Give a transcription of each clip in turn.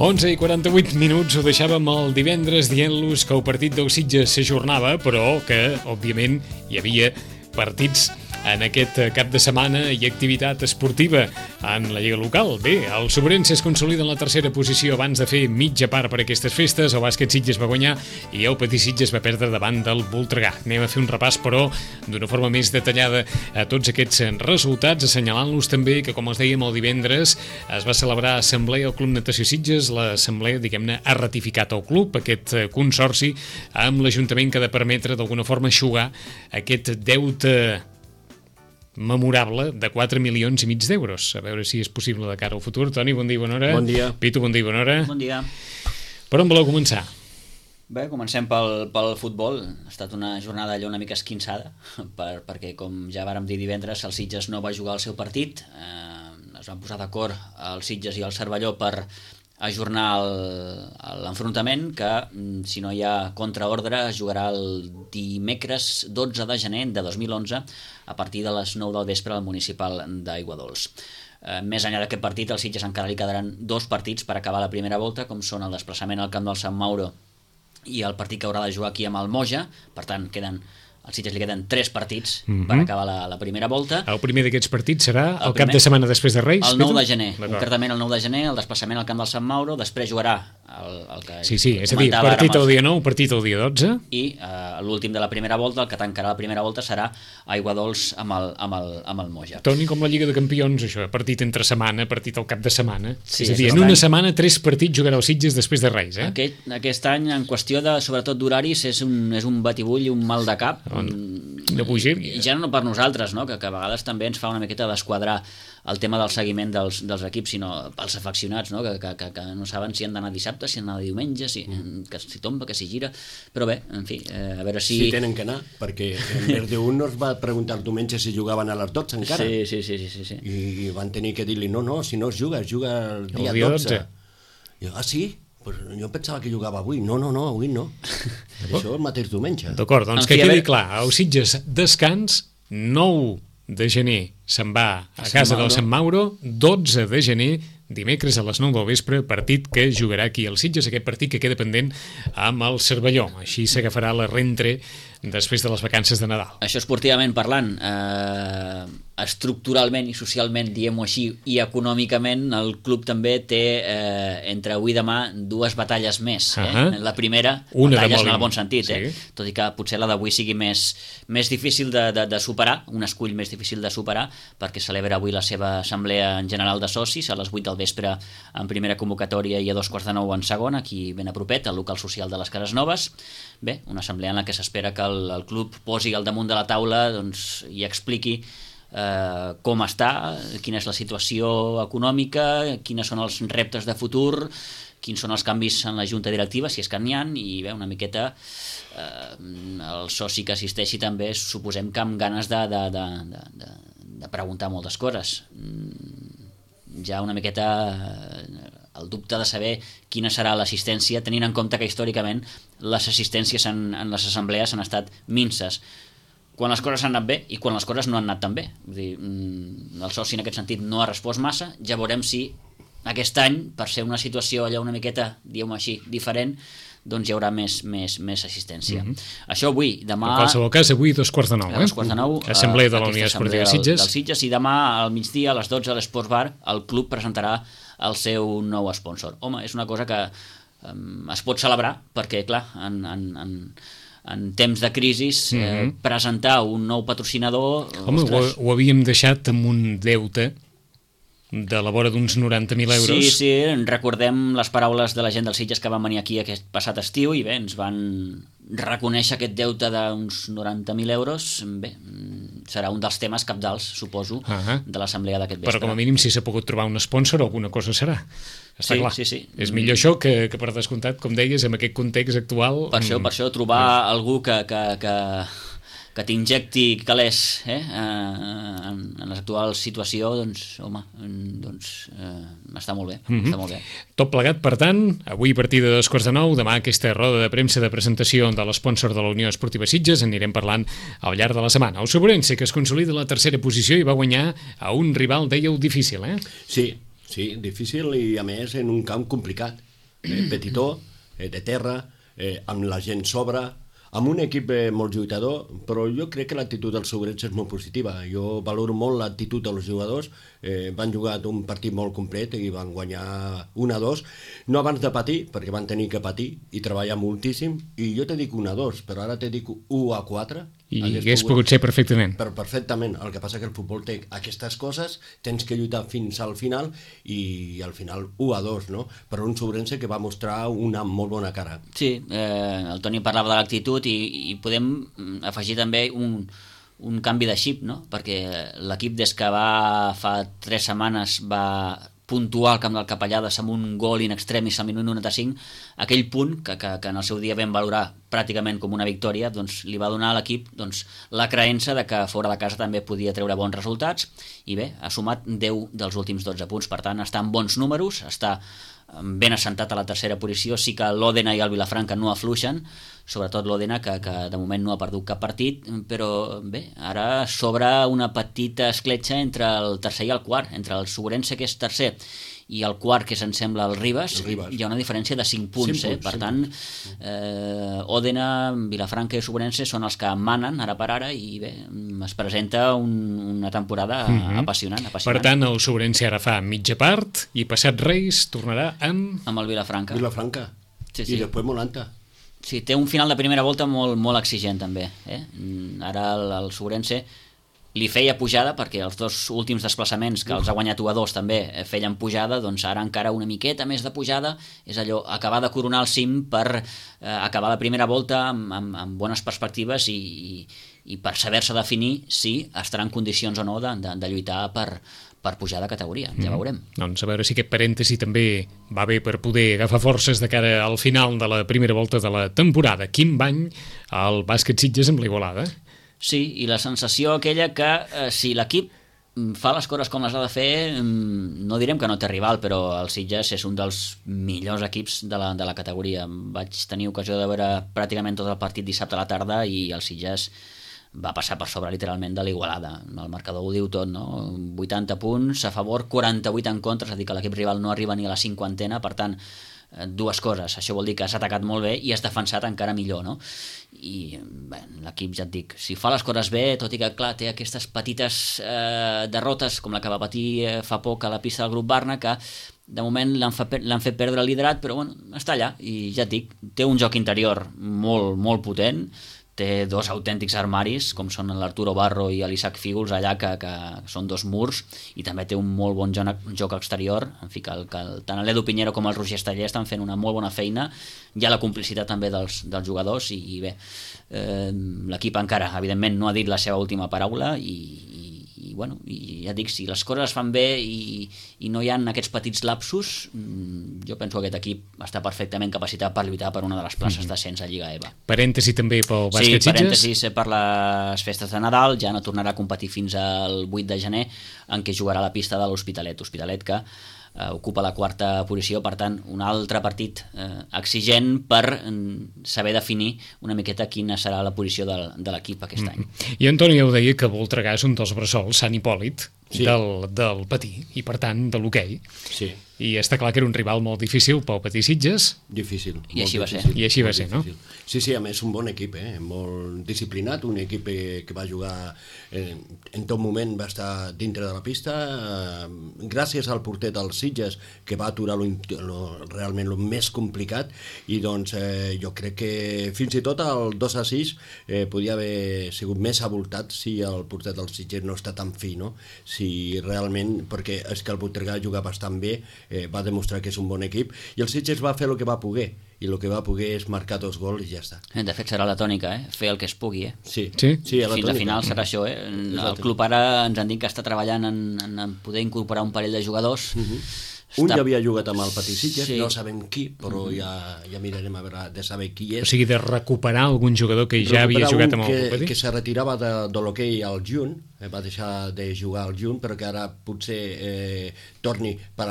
11:48, ho deixàvem el divendres dient-los que el partit del Sitges s'ajornava, però que, òbviament, hi havia partits en aquest cap de setmana i activitat esportiva en la Lliga local. Bé, el Sobrense es consolida en la tercera posició abans de fer mitja part per aquestes festes. El bàsquet Sitges va guanyar i el Petit Sitges va perdre davant del Voltregà. Anem a fer un repàs, però, d'una forma més detallada a tots aquests resultats, assenyalant-los també que, com els dèiem el divendres, es va celebrar assemblea al Club Natació Sitges. L'assemblea, diguem-ne, ha ratificat el club, aquest consorci, amb l'Ajuntament que ha de permetre, d'alguna forma, eixugar aquest deute memorable de 4,5 milions d'euros. A veure si és possible de cara al futur. Toni, bon dia i bona hora. Bon dia. Pitu, bon dia i bona hora. Bon dia. Per on voleu començar? Bé, comencem pel futbol. Ha estat una jornada allò una mica esquinçada, perquè, com ja vàrem dir divendres, el Sitges no va jugar el seu partit. Es van posar d'acord el Sitges i el Cervelló per ajornar l'enfrontament, que, si no hi ha contraordre, es jugarà el dimecres 12 de gener de 2011 a partir de les 9 del vespre al municipal d'Aiguadols. Més enllà d'aquest partit, al Sitges encara li quedaran 2 partits per acabar la primera volta, com són el desplaçament al camp del Sant Mauro i el partit que haurà de jugar aquí amb el Moja. Per tant, al Sitges li queden 3 partits per acabar la primera volta. El primer d'aquests partits serà el cap de setmana després de Reis? El 9 de gener, concretament el 9 de gener, el desplaçament al camp del Sant Mauro, després jugarà el que sí, és a dir, partit el dia 9, partit el dia 12. I l'últim de la primera volta, el que tancarà la primera volta, serà Aiguadols amb el Moja. Toni, com la Lliga de Campions, això, partit entre setmana, partit al cap de setmana. Sí, és a dir, en una setmana 3 partits jugarà el Sitges després de Reis. Aquest any, en qüestió sobretot d'horaris, és un batibull i un mal de cap. De bugir. I ja no per nosaltres, no? Que a vegades també ens fa una miqueta desquadrar el tema del seguiment dels equips, sinó pels afeccionats, no? Que no saben si han d'anar dissabte, si han d'anar diumenge, que si tomba, que si gira. Però bé, en fi, a veure si... Sí, tenen que anar, perquè en Verdeun no es va preguntar el diumenge si jugaven a les 12 encara. Sí. I van tenir que dir-li, no, si no es juga el dia 12. I sí? Jo pensava que jugava avui. No, avui no. Això el mateix diumenge. D'acord, doncs que quedi clar. El Sitges descans, 9 de gener se'n va a casa del Sant Mauro, 12 de gener, dimecres a les 9 del vespre, partit que jugarà aquí el Sitges, aquest partit que queda pendent amb el Cervelló. Així s'agafarà la rentre després de les vacances de Nadal. Això esportivament parlant, estructuralment i socialment, diguem-ho així, i econòmicament, el club també té entre avui i demà 2 batalles més. La primera, batalles en el bon sentit, tot i que potser la d'avui sigui més difícil de superar, un escull més difícil de superar, perquè celebra avui la seva assemblea en general de socis a les 8 del vespre en primera convocatòria i a 8:45 en segona, aquí ben a propet, al local social de les Cases Noves. Bé, una assemblea en la que s'espera que el club posi al damunt de la taula i expliqui com està, quina és la situació econòmica, quines són els reptes de futur, quins són els canvis en la junta directiva, si és que n'hi ha, i bé, una miqueta el soci que assisteixi també suposem que amb ganes de preguntar moltes coses. Ja una miqueta el dubte de saber quina serà l'assistència, tenint en compte que històricament les assistències en les assemblees han estat minses, quan les coses han anat bé i quan les coses no han anat tan bé. Vull dir, el soci en aquest sentit no ha respost massa. Ja veurem si aquest any, per ser una situació allà una miqueta, diguem-ho així, diferent, doncs hi haurà més assistència. Això avui, demà... En qualsevol cas, avui 8:45, a 8:45, Assemblea de la Unió Esportiva Sitges. Del Sitges, i demà al migdia, a les 12, a l'Esports Bar, el club presentarà el seu nou sponsor. Home, és una cosa que es pot celebrar, perquè, clar, en temps de crisi, presentar un nou patrocinador... Home, ho havíem deixat amb un deute de la vora d'uns 90.000 euros. Sí, recordem les paraules de la gent del Sitges que van venir aquí aquest passat estiu i bé, ens van reconèixer aquest deute d'uns 90.000 euros. Bé, serà un dels temes cabdals, suposo, de l'assemblea d'aquest vespre. Però com a mínim, si s'ha pogut trobar un sponsor, alguna cosa serà. Està clar. Sí. És millor això que per descomptat, com deies, en aquest context actual... Per això trobar algú que t'injecti calés en l'actual situació, doncs, home, està molt bé. Està molt bé. Tot plegat, per tant, avui a partir de 8:45, demà aquesta roda de premsa de presentació de l'espònsor de la Unió Esportiva Sitges, en anirem parlant al llarg de la setmana. El Sobrense, que es consolida a la tercera posició i va guanyar a un rival, dèieu, difícil, Sí, difícil i a més en un camp complicat. petitó, de terra, amb la gent sobre, amb un equip molt lluitador, però jo crec que l'actitud dels Ourense és molt positiva. Jo valoro molt l'actitud dels jugadors. Van jugar un partit molt complet i van guanyar 1-2, no abans de patir, perquè van tenir que patir i treballar moltíssim, i jo te dic 1-2, però ara te dic 1-4. I hagués pogut ser perfectament. Però perfectament. El que passa que el futbol té aquestes coses, tens que lluitar fins al final, i al final 1-2, no? Però un Ourense que va mostrar una molt bona cara. Sí, el Toni parlava de l'actitud i podem afegir també un canvi de xip, no? Perquè l'equip des que fa 3 setmanes va puntuar al camp del Capellades amb un gol in extremis al minut 95, aquell punt que en el seu dia vam valorar pràcticament com una victòria, doncs li va donar a l'equip la creença de que fora de casa també podia treure bons resultats, i bé, ha sumat 10 dels últims 12 punts, per tant està en bons números, està ben assentat a la tercera posició. Sí que l'Òdena i el Vilafranca no afluixen, sobretot l'Òdena, que de moment no ha perdut cap partit, però bé, ara s'obre una petita escletxa entre el tercer i el quart, entre el Ourense, que és tercer, i el quart, que se'n sembla el Ribes, hi ha una diferència de 5 punts, per tant Òdena, Vilafranca i Ourense són els que manen ara per ara, i bé, es presenta una temporada apassionant. Per tant, el Ourense ara fa mitja part i passat Reis tornarà amb el Vilafranca. Sí. I després Molanta. Sí, té un final de primera volta molt exigent també, Ara el Ourense li feia pujada, perquè els 2 últims desplaçaments que els ha guanyat 1-2 també feien pujada, doncs ara encara una miqueta més de pujada, és allò, acabar de coronar el cim per acabar la primera volta amb bones perspectives i per saber-se definir si estarà en condicions o no de lluitar per pujar de categoria, ja veurem. Doncs a veure si aquest parèntesi també va bé per poder agafar forces de cara al final de la primera volta de la temporada. Quin bany al bàsquet Sitges amb l'Igualada. Sí, i la sensació aquella que si l'equip fa les coses com les ha de fer, no direm que no té rival, però el Sitges és un dels millors equips de la categoria. Vaig tenir ocasió de veure pràcticament tot el partit dissabte a la tarda i el Sitges va passar per sobre literalment de l'Igualada. El marcador ho diu tot, no? 80 punts a favor, 48 en contra, és a dir, que l'equip rival no arriba ni a la 50ena, per tant, 2 coses. Això vol dir que has atacat molt bé i has defensat encara millor, no? I bé, l'equip, ja et dic, si fa les coses bé, tot i que clar, té aquestes petites derrotes com la que va patir fa poc a la pista del grup Barna, que de moment l'han fet perdre el liderat, però bueno, està allà, i ja et dic, té un joc interior molt potent, té 2 autèntics armaris, com són l'Arturo Barro i l'Isaac Fígols allà, que són 2 murs, i també té un molt bon joc exterior. En fi, que tant l'Edu Pinheiro com el Roger Esteller estan fent una molt bona feina. Hi ha la complicitat també dels jugadors, i bé, l'equip encara, evidentment, no ha dit la seva última paraula, i bueno, i ja dic, si les coses es fan bé i no hi ha aquests petits lapsus, jo penso que aquest equip està perfectament capacitat per lluitar per una de les places d'ascens a Lliga EVA. Parèntesi també pel bàsquet Sitges? Sí, parèntesis per les festes de Nadal, ja no tornarà a competir fins al 8 de gener, en què jugarà a la pista de l'Hospitalet que ocupa la 4a posició, per tant un altre partit exigent per saber definir una miqueta quina serà la posició de l'equip aquest any. I Antoni ja ho deia, que Voltregà és un dels bressols, Sant Hipòlit, del patí, i per tant de l'hoquei. Sí. I està clar que era un rival molt difícil pel patí Sitges. Difícil. I així va ser. I així va ser, no? Sí, a més, un bon equip, molt disciplinat, un equip que va jugar en tot moment, va estar dintre de la pista, gràcies al porter dels Sitges, que va aturar realment el més complicat, i doncs jo crec que fins i tot el 2-6 podia haver sigut més avoltat si el porter dels Sitges no està tan fi, no? Si realment, perquè és que el Voltregà juga bastant bé, va demostrar que és un bon equip, i el Sitges va fer el que va poder, i el que va poder és marcar 2 gols i ja està. De fet serà la tònica, fer el que es pugui. Sí, fins a final serà això. El club ara ens han dit que està treballant en poder incorporar un parell de jugadors. Un ja havia jugat amb el Patí Sitges, no sabem qui, però ja mirarem a veure de saber qui és. O sigui, de recuperar algun jugador que ja havia jugat amb el Patí? Que se retirava de l'hoquei al juny, va deixar de jugar al juny, però que ara potser torni per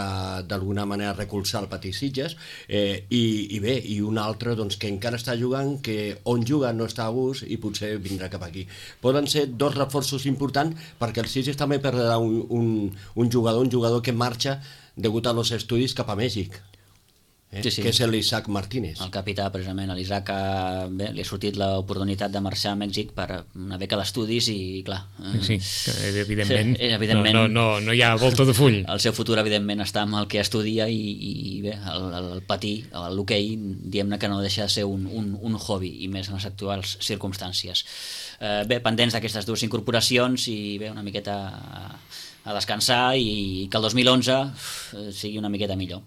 d'alguna manera recolzar el Patí Sitges, i bé, i un altre doncs, que encara està jugant, que on juga no està a gust i potser vindrà cap aquí. Poden ser 2 reforços importants, perquè el Sitges també perdrà un jugador que marxa degut a los estudis cap a Mèxic. Sí, sí. Que és l'Isaac Martínez. El capità, precisament. A l'Isaac li ha sortit l'oportunitat de marxar a Mèxic per una beca d'estudis i, clar... Sí, evidentment, evidentment no hi ha volta de full. El seu futur, evidentment, està amb el que estudia i bé, el patir, l'hoquei, diguem-ne que no deixa de ser un hobby, i més en les actuals circumstàncies. Bé, pendents d'aquestes dues incorporacions i bé, una miqueta a descansar i que el 2011 sigui una miqueta millor.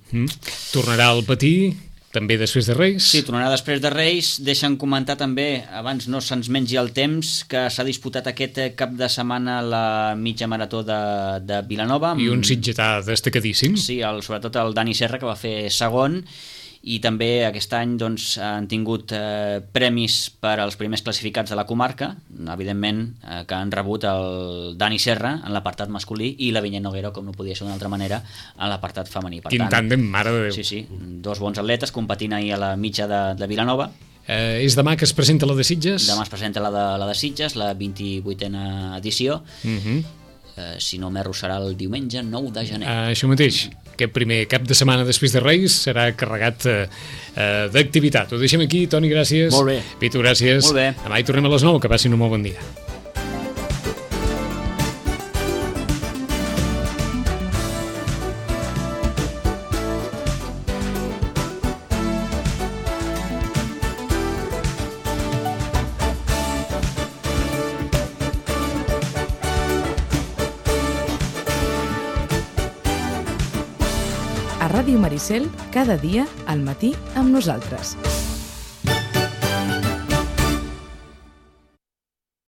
Tornarà al patir també després de Reis? Sí, tornarà després de Reis. Deixa'm comentar també, abans no se'ns mengi el temps, que s'ha disputat aquest cap de setmana la mitja marató de Vilanova. I un sitgetà destacadíssim. Sí, sobretot el Dani Serra, que va fer segon, i també aquest any doncs, han tingut premis per als primers classificats de la comarca, evidentment que han rebut el Dani Serra en l'apartat masculí i la Vinyet Noguera, com no podia ser d'una altra manera, en l'apartat femení. Quin tàndem, mare de Déu. Sí, dos bons atletes competint ahir a la mitja de Vilanova. És demà que es presenta la de Sitges? Demà es presenta la de Sitges, la 28a edició. Si no m'erro, serà el diumenge 9 de gener. Això mateix. Aquest primer cap de setmana després de Reis serà carregat d'activitat. Ho deixem aquí. Toni, gràcies. Molt bé. Pitu, gràcies. Molt bé. Demà hi tornem a les 9. Que passin un molt bon dia. A Ràdio Maricel, cada dia al matí amb nosaltres.